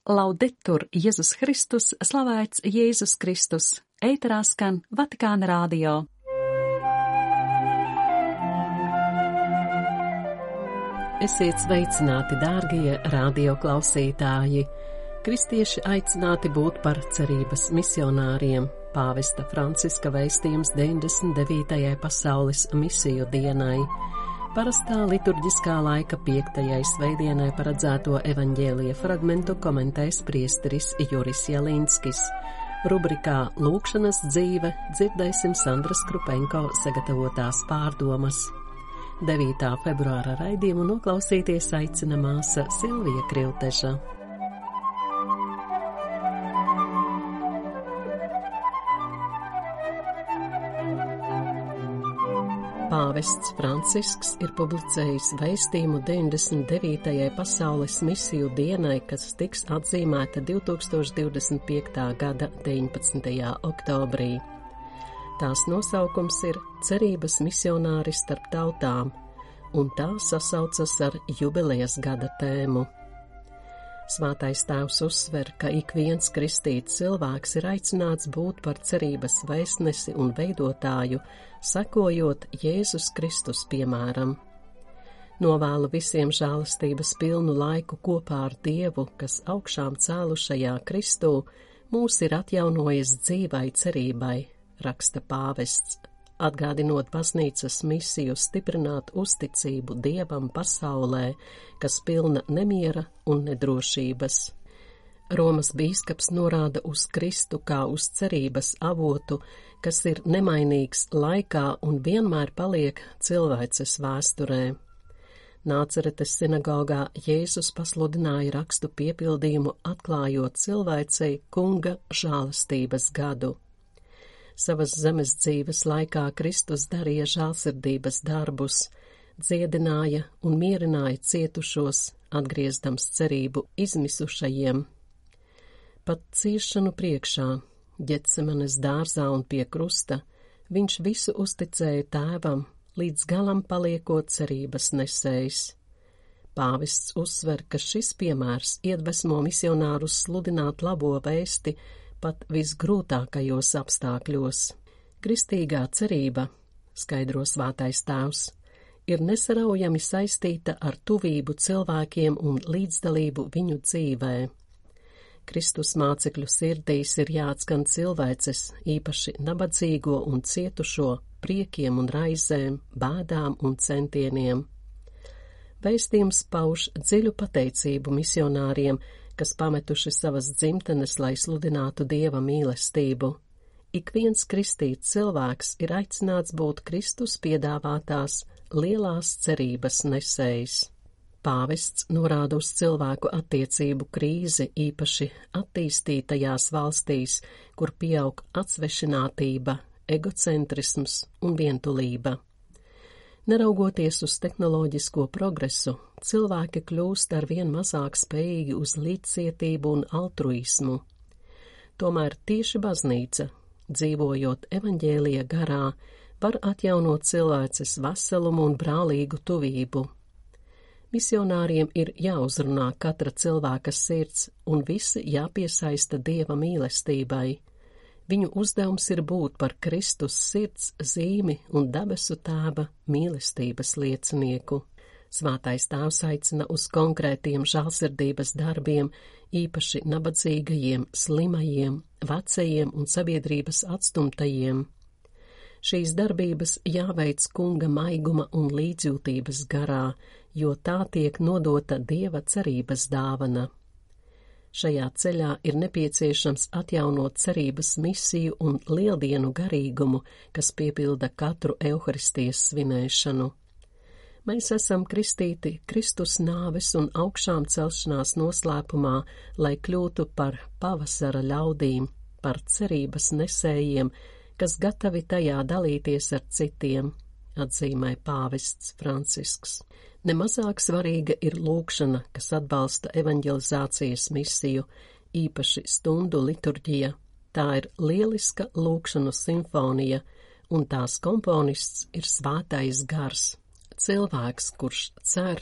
Laudetur Jēzus Kristus, slavēts Jēzus Kristus, ēterā skan Vatikāna radio. Esiet sveicināti, dārgie radioklausītāji! Kristieši aicināti būt par cerības misionāriem. Pāvesta Franciska vēstījums 99. pasaules misiju dienai. Parastā liturģiskā laika 5. svētdienai paredzēto evaņģēlija fragmentu komentēs priesteris Juris Jalinskis. Rubrikā Lūkšanas dzīve dzirdēsim Sandras Krupenko sagatavotās pārdomas. 9. februāra raidījumu noklausīties aicina māsa Silvija Krilteža. Pāvests Francisks ir publicējis vēstījumu 99. pasaules misiju dienai, kas tiks atzīmēta 2025. gada 19. oktobrī. Tās nosaukums ir Cerības misionāri starp tautām, un tā sasaucas ar jubilejas gada tēmu. Svētais Tēvs uzsver, ka ik viens kristīts cilvēks ir aicināts būt par cerības vēstnesi un veidotāju, sekojot Jēzus Kristus piemēram. Novēlu visiem žēlastības pilnu laiku kopā ar Dievu, kas augšām cēlušajā Kristū mūs ir atjaunojis dzīvai cerībai, raksta pāvests, atgādinot baznīcas misiju stiprināt uzticību Dievam pasaulē, kas pilna nemiera un nedrošības. Romas bīskaps norāda uz Kristu kā uz cerības avotu, kas ir nemainīgs laikā un vienmēr paliek cilvēces vēsturē. Nāceretes sinagogā Jēzus pasludināja rakstu piepildījumu, atklājot cilvēcei Kunga žēlastības gadu. Savas zemes dzīves laikā Kristus darīja žēlsirdības darbus, dziedināja un mierināja cietušos, atgriezdams cerību izmisušajiem. Pat ciešanu priekšā, Ģetsemanes dārzā un pie krusta, viņš visu uzticēja Tēvam, līdz galam paliekot cerības nesējs. Pāvests uzsver, ka šis piemērs iedvesmo misionārus sludināt labo vēsti pat visgrūtākajos apstākļos. Kristīgā cerība, skaidro Svētais Tēvs, ir nesaraujami saistīta ar tuvību cilvēkiem un līdzdalību viņu dzīvē. Kristus mācekļu sirdīs ir jāatskan cilvēces, īpaši nabadzīgo un cietušo, priekiem un raizēm, bēdām un centieniem. Vēstījums pauž dziļu pateicību misionāriem, kas pametuši savas dzimtenes, lai sludinātu Dieva mīlestību. Ik viens kristīts cilvēks ir aicināts būt Kristus piedāvātās lielās cerības nesējs. Pāvests norāda uz cilvēku attiecību krīzi, īpaši attīstītajās valstīs, kur pieaug atsvešinātība, egocentrisms un vientulība. Neraugoties uz tehnoloģisko progresu, cilvēki kļūst arvien mazāk spējīgi uz līdzcietību un altruismu. Tomēr tieši baznīca, dzīvojot evaņģēlija garā, var atjaunot cilvēces veselumu un brālīgu tuvību. Misionāriem ir jāuzrunā katra cilvēka sirds un visi jāpiesaista Dieva mīlestībai. Viņu uzdevums ir būt par Kristus sirds zīmi un debesu Tēva mīlestības liecinieku. Svētais Tēvs aicina uz konkrētiem žēlsirdības darbiem, īpaši nabadzīgajiem, slimajiem, vecajiem un sabiedrības atstumtajiem. Šīs darbības jāveic Kunga maiguma un līdzjūtības garā, jo tā tiek nodota Dieva cerības dāvana. Šajā ceļā ir nepieciešams atjaunot cerības misiju un lieldienu garīgumu, kas piepilda katru Euharistijas svinēšanu. Mēs esam kristīti Kristus nāves un augšām celšanās noslēpumā, lai kļūtu par pavasara ļaudīm, par cerības nesējiem, kas gatavi tajā dalīties ar citiem, atzīmē pāvests Francisks. Nemazāk svarīga ir lūkšana, kas atbalsta evaņģelizācijas misiju, īpaši stundu liturģija. Tā ir lieliska lūkšanu simfonija, un tās komponists ir Svētais Gars. Cilvēks, kurš cer,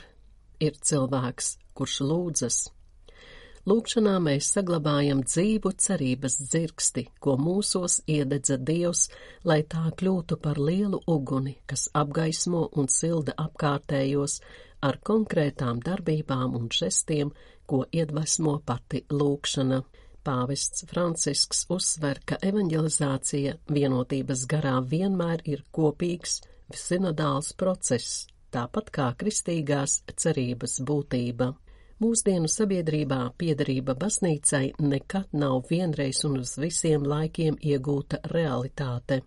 ir cilvēks, kurš lūdzas. Lūkšanā mēs saglabājam dzīvu cerības dzirksti, ko mūsos iededza Dievs, lai tā kļūtu par lielu uguni, kas apgaismo un silda apkārtējos ar konkrētām darbībām un žestiem, ko iedvesmo pati lūkšana. Pāvests Francisks uzsver, ka evanģelizācija vienotības garā vienmēr ir kopīgs, sinodāls process, tāpat kā kristīgās cerības būtība. Mūsdienu sabiedrībā piederība baznīcai nekad nav vienreiz un uz visiem laikiem iegūta realitāte.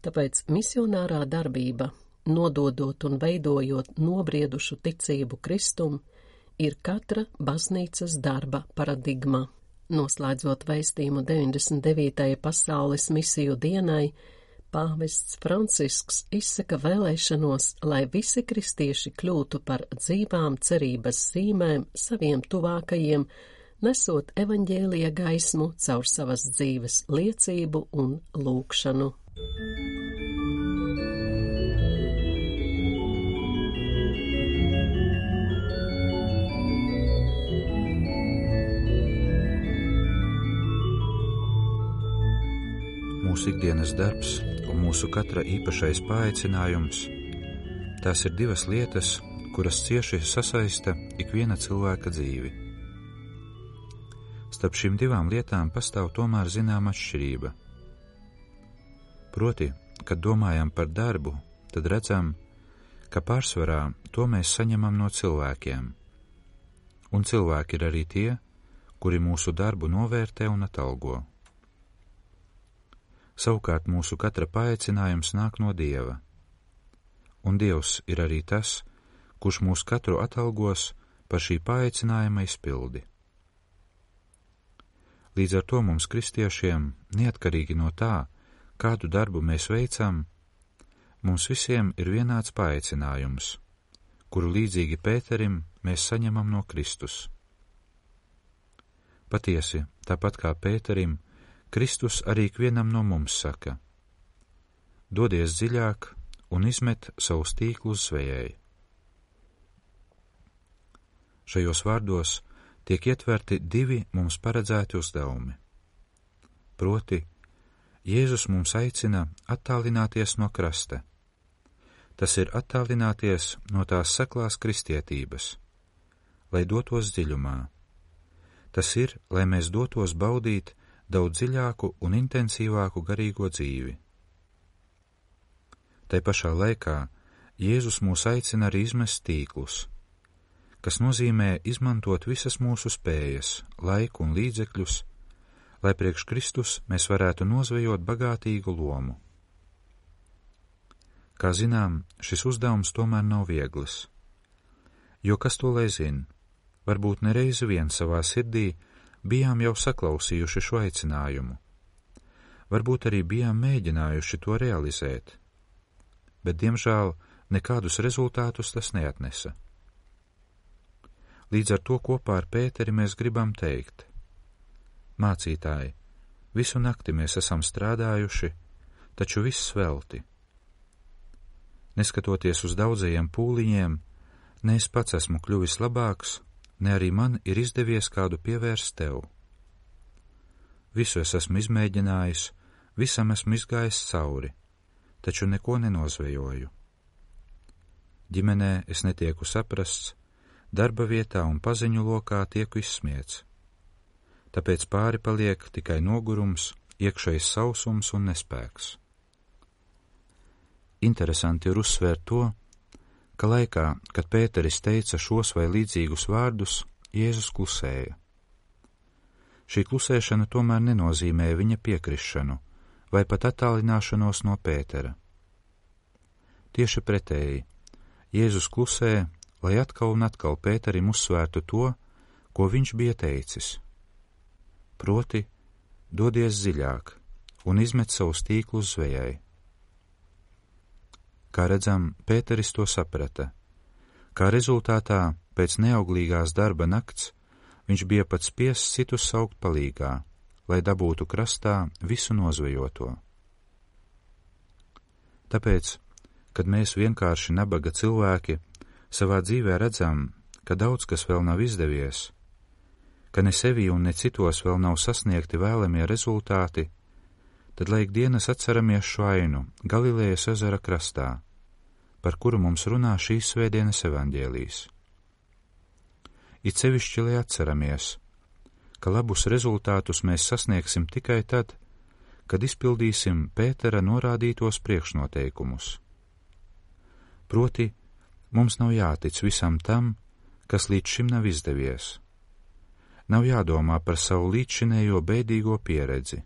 Tāpēc misionārā darbība, nododot un veidojot nobriedušu ticību Kristum, ir katra baznīcas darba paradigma. Noslēdzot vēstījumu 99. pasaules misiju dienai, Pāvests Francisks izsaka vēlēšanos, lai visi kristieši kļūtu par dzīvām cerības zīmēm saviem tuvākajiem, nesot evaņģēlija gaismu caur savas dzīves liecību un lūkšanu. Mūsu ikdienas darbs un mūsu katra īpašais paaicinājums, tās ir divas lietas, kuras cieši sasaista ikviena cilvēka dzīvi. Starp šīm divām lietām pastāv tomēr zināma atšķirība. Proti, kad domājam par darbu, tad redzam, ka pārsvarā to mēs saņemam no cilvēkiem. Un cilvēki ir arī tie, kuri mūsu darbu novērtē un atalgo. Savukārt mūsu katra paaicinājums nāk no Dieva, un Dievs ir arī tas, kurš mūs katru atalgos par šī paaicinājuma izpildi. Līdz ar to mums kristiešiem, neatkarīgi no tā, kādu darbu mēs veicam, mums visiem ir vienāds paaicinājums, kuru līdzīgi Pēterim mēs saņemam no Kristus. Patiesi, tāpat kā Pēterim, Kristus arī ikvienam no mums saka: dodies dziļāk un izmet savus tīklus zvejai. Šajos vārdos tiek ietverti divi mums paredzēti uzdevumi. Proti, Jēzus mums aicina attālināties no krasta. Tas ir attālināties no tās seklās kristietības, lai dotos dziļumā. Tas ir, lai mēs dotos baudīt daudz dziļāku un intensīvāku garīgo dzīvi. Tai pašā laikā Jēzus mūs aicina arī izmest tīklus, kas nozīmē izmantot visas mūsu spējas, laiku un līdzekļus, lai priekš Kristus mēs varētu nozvejot bagātīgu lomu. Kā zinām, šis uzdevums tomēr nav viegls, jo kas to lai zina, varbūt nereizi vien savā sirdī bijām jau saklausījuši šo aicinājumu, varbūt arī bijām mēģinājuši to realizēt, bet, diemžēl, nekādus rezultātus tas neatnesa. Līdz ar to kopā ar Pēteri mēs gribam teikt: mācītāji, visu nakti mēs esam strādājuši, taču viss velti. Neskatoties uz daudzajiem pūliņiem, ne es pats esmu kļuvis labāks, ne arī man ir izdevies kādu pievērst tev. Visu es esmu izmēģinājis, visam esmu izgājis cauri, taču neko nenozvejoju. Ģimenē es netieku saprasts, darba vietā un paziņu lokā tieku izsmiets. Tāpēc pāri paliek tikai nogurums, iekšējs sausums un nespēks. Interesanti ir uzsvērt to, ka laikā, kad Pēteris teica šos vai līdzīgus vārdus, Jēzus klusēja. Šī klusēšana tomēr nenozīmēja viņa piekrišanu vai pat attālināšanos no Pētera. Tieši pretēji, Jēzus klusē, lai atkal un atkal Pēterim uzsvērtu to, ko viņš bija teicis. Proti, dodies dziļāk un izmet savus tīklus zvejai. Kā redzam, Pēteris to saprata. Kā rezultātā, pēc neauglīgās darba nakts, viņš bija pat spiests citus saukt palīgā, lai dabūtu krastā visu nozvejoto. Tāpēc, kad mēs vienkārši nabaga cilvēki savā dzīvē redzam, ka daudz kas vēl nav izdevies, ka ne sevī un ne citos vēl nav sasniegti vēlamie rezultāti, tad laik dienas atceramies šo ainu Galilejas ezera krastā, par kuru mums runā šīs svētdienas evaņģēlijs. It sevišķi, lai atceramies, ka labus rezultātus mēs sasniegsim tikai tad, kad izpildīsim Pētera norādītos priekšnoteikumus. Proti, mums nav jātic visam tam, kas līdz šim nav izdevies. Nav jādomā par savu līdzšinējo bēdīgo pieredzi.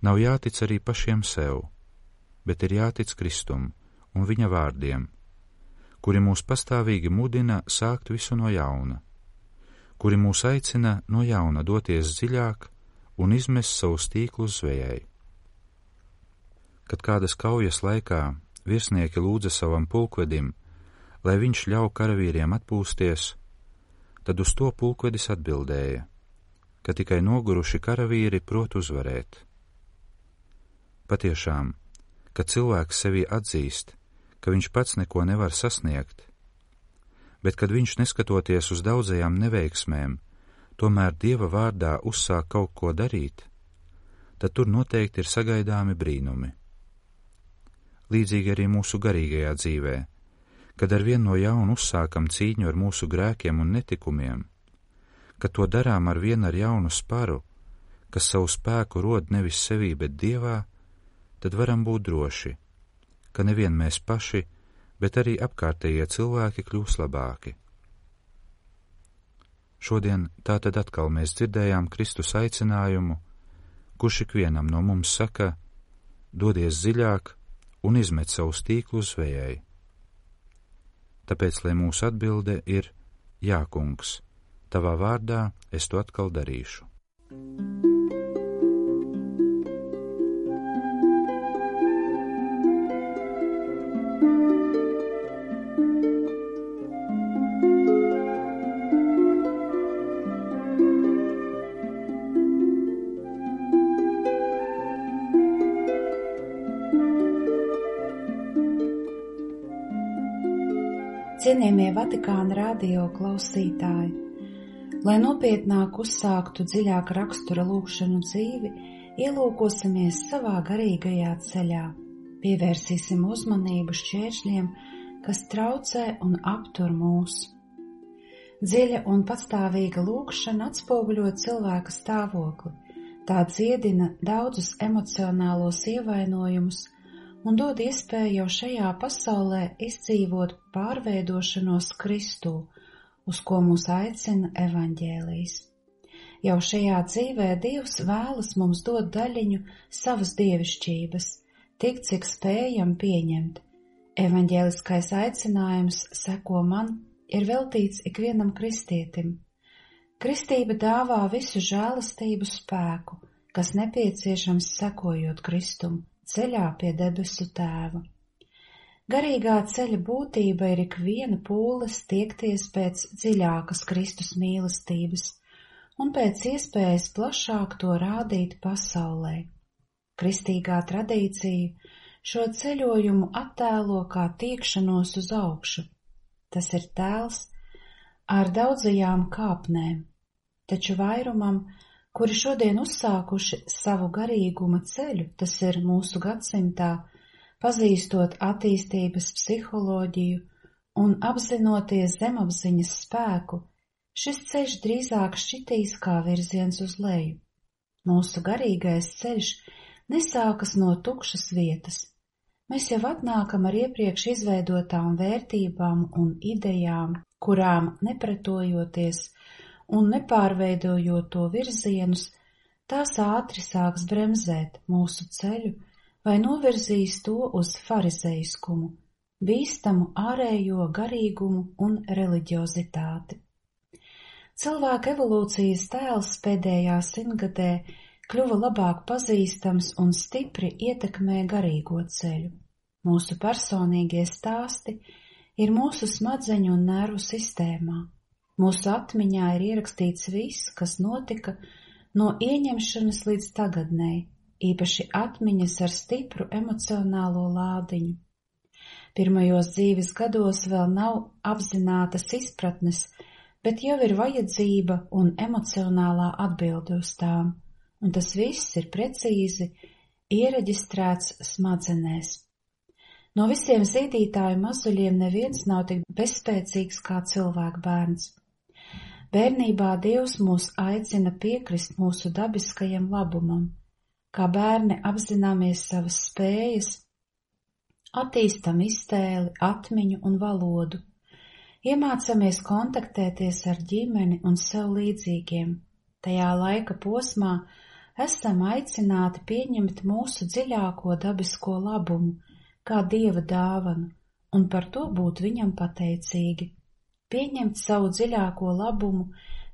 Nav jātic arī pašiem sev, bet ir jātic Kristum un viņa vārdiem, kuri mūs pastāvīgi mudina sākt visu no jauna, kuri mūs aicina no jauna doties dziļāk un izmest savus tīklus zvejai. Kad kādas kaujas laikā virsnieki lūdza savam pulkvedim, lai viņš ļauj karavīriem atpūsties, tad uz to pulkvedis atbildēja, ka tikai noguruši karavīri prot uzvarēt. Patiešām, kad cilvēks sevī atzīst, ka viņš pats neko nevar sasniegt, bet kad viņš, neskatoties uz daudzajām neveiksmēm, tomēr Dieva vārdā uzsāk kaut ko darīt, tad tur noteikti ir sagaidāmi brīnumi. Līdzīgi arī mūsu garīgajā dzīvē, kad arvien no jauna uzsākam cīņu ar mūsu grēkiem un netikumiem, kad to darām arvien ar jaunu sparu, kas savu spēku rod nevis sevī, bet Dievā, tad varam būt droši, ka nevien mēs paši, bet arī apkārtējie cilvēki kļūs labāki. Šodien tātad atkal mēs dzirdējām Kristus aicinājumu, kurš ikvienam no mums saka, dodies dziļāk un izmet savus tīklus zvejai. Tāpēc, lai mūsu atbilde ir, jā, kungs, tavā vārdā es to atkal darīšu. Cienījamie Vatikāna radio klausītāji, lai nopietnāk uzsāktu dziļāk rakstura lūgšanu dzīvi, ielūkosimies savā garīgajā ceļā, pievērsīsim uzmanību šķēršļiem, kas traucē un aptur mūs. Dziļa un patstāvīga lūgšana atspoguļo cilvēka stāvokli, tā dziedina daudzus emocionālos ievainojumus un dod iespēju jau šajā pasaulē izdzīvot pārveidošanos Kristū, uz ko mūs aicina evaņģēlijs. Jau šajā dzīvē Dievs vēlas mums dot daļiņu savas dievišķības, tik cik spējam pieņemt. Evaņģēliskais aicinājums seko man ir veltīts ikvienam kristietim. Kristība dāvā visu žēlastību spēku, kas nepieciešams sekojot Kristum, ceļā pie debesu Tēva. Garīgā ceļa būtība ir ikviena pūles tiekties pēc dziļākas Kristus mīlestības un pēc iespējas plašāk to rādīt pasaulē. Kristīgā tradīcija šo ceļojumu attēlo kā tiekšanos uz augšu. Tas ir tēls ar daudzajām kāpnēm, taču vairumam, kuri šodien uzsākuši savu garīguma ceļu, tas ir mūsu gadsimtā, pazīstot attīstības psiholoģiju un apzinoties zemapziņas spēku, šis ceļš drīzāk šķitīs kā virziens uz leju. Mūsu garīgais ceļš nesākas no tukšas vietas. Mēs jau atnākam ar iepriekš izveidotām vērtībām un idejām, kurām nepretojoties un nepārveidojot to virzienus, tās ātri sāks bremzēt mūsu ceļu vai novirzīs to uz farizeiskumu, bīstamu ārējo garīgumu un reliģiozitāti. Cilvēka evolūcijas tēls pēdējā simtgadē kļuva labāk pazīstams un stipri ietekmē garīgo ceļu. Mūsu personīgie stāsti ir mūsu smadzeņu un nervu sistēmā. Mūsu atmiņā ir ierakstīts viss, kas notika no ieņemšanas līdz tagadnei, īpaši atmiņas ar stipru emocionālo lādiņu. Pirmajos dzīves gados vēl nav apzinātas izpratnes bet jau ir vajadzība un emocionālā atbilde uz tām, un tas viss ir precīzi iereģistrēts smadzenēs. No visiem zīdītāju mazuļiem neviens nav tik bezspēcīgs kā cilvēka bērns. Bērnībā Dievs mūs aicina piekrist mūsu dabiskajam labumam, kā bērni apzināmies savas spējas, attīstam iztēli, atmiņu un valodu, iemācāmies kontaktēties ar ģimeni un sev līdzīgiem. Tajā laika posmā esam aicināti pieņemt mūsu dziļāko dabisko labumu, kā Dieva dāvanu, un par to būt viņam pateicīgi. Pieņemt savu dziļāko labumu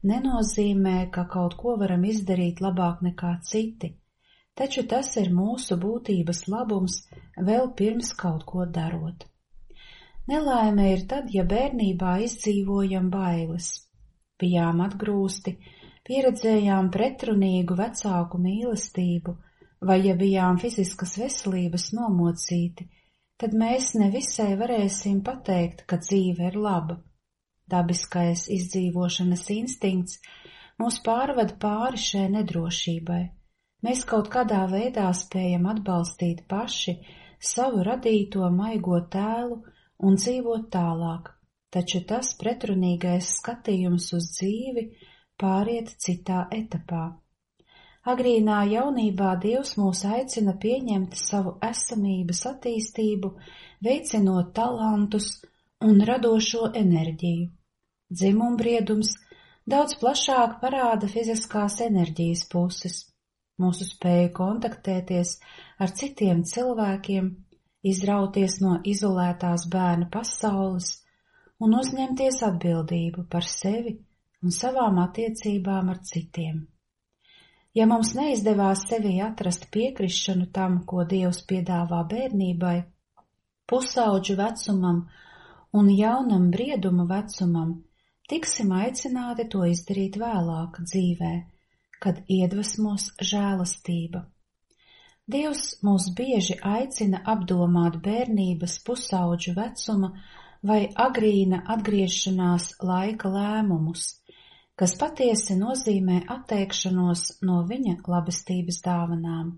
nenozīmē, ka kaut ko varam izdarīt labāk nekā citi, taču tas ir mūsu būtības labums vēl pirms kaut ko darot. Nelaime ir tad, ja bērnībā izdzīvojam bailes, bijām atgrūsti, pieredzējām pretrunīgu vecāku mīlestību, vai ja bijām fiziskas veselības nomocīti, tad mēs nevisai varēsim pateikt, ka dzīve ir laba. Dabiskais izdzīvošanas instinkts mūs pārved pāri šai nedrošībai. Mēs kaut kādā veidā spējam atbalstīt paši savu radīto maigo tēlu un dzīvot tālāk, taču tas pretrunīgais skatījums uz dzīvi pāriet citā etapā. Agrīnā jaunībā Dievs mūs aicina pieņemt savu esamības attīstību, veicinot talantus un radošo enerģiju. Dzimumbriedums daudz plašāk parāda fiziskās enerģijas puses, mūsu spēju kontaktēties ar citiem cilvēkiem, izrauties no izolētās bērna pasaules un uzņemties atbildību par sevi un savām attiecībām ar citiem. Ja mums neizdevās sevī atrast piekrišanu tam, ko Dievs piedāvā bērnībai, pusaudžu vecumam un jaunam brieduma vecumam, tiksim aicināti to izdarīt vēlāk dzīvē, kad iedvesmos žēlastība. Dievs mūs bieži aicina apdomāt bērnības pusaudžu vecuma vai agrīna atgriešanās laika lēmumus, kas patiesi nozīmē atteikšanos no viņa labestības dāvanām.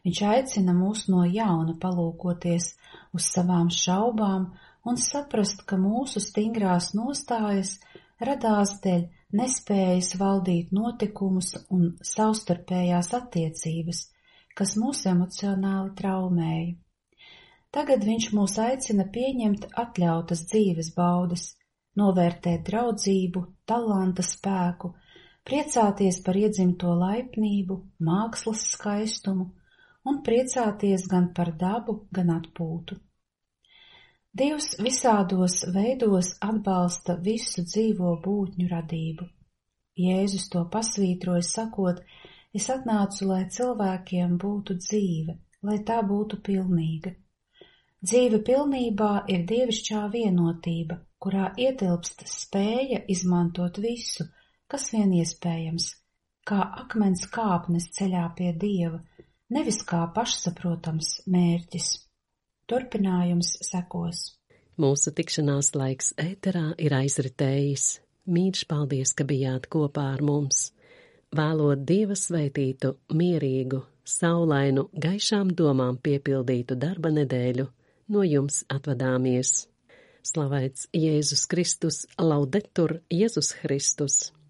Viņš aicina mūs no jauna palūkoties uz savām šaubām un saprast, ka mūsu stingrās nostājas radās dēļ nespējas valdīt notikumus un savstarpējās attiecības, kas mūs emocionāli traumēja. Tagad viņš mūs aicina pieņemt atļautas dzīves baudas, novērtēt draudzību, talanta spēku, priecāties par iedzimto laipnību, mākslas skaistumu un priecāties gan par dabu, gan atpūtu. Dievs visādos veidos atbalsta visu dzīvo būtņu radību. Jēzus to pasvītroja sakot, es atnācu, lai cilvēkiem būtu dzīve, lai tā būtu pilnīga. Dzīve pilnībā ir dievišķā vienotība, kurā ietilpst spēja izmantot visu, kas vien iespējams, kā akmens kāpnes ceļā pie Dieva, nevis kā pašsaprotams mērķis. Turpinājums sekos. Mūsu tikšanās laiks ēterā ir aizritējis. Mīļš paldies, ka bijāt kopā ar mums. Vēlot Dieva svētītu, mierīgu, saulainu, gaišām domām piepildītu darba nedēļu, no jums atvadāmies. Slavēts Jēzus Kristus, laudetur Jēzus Kristus!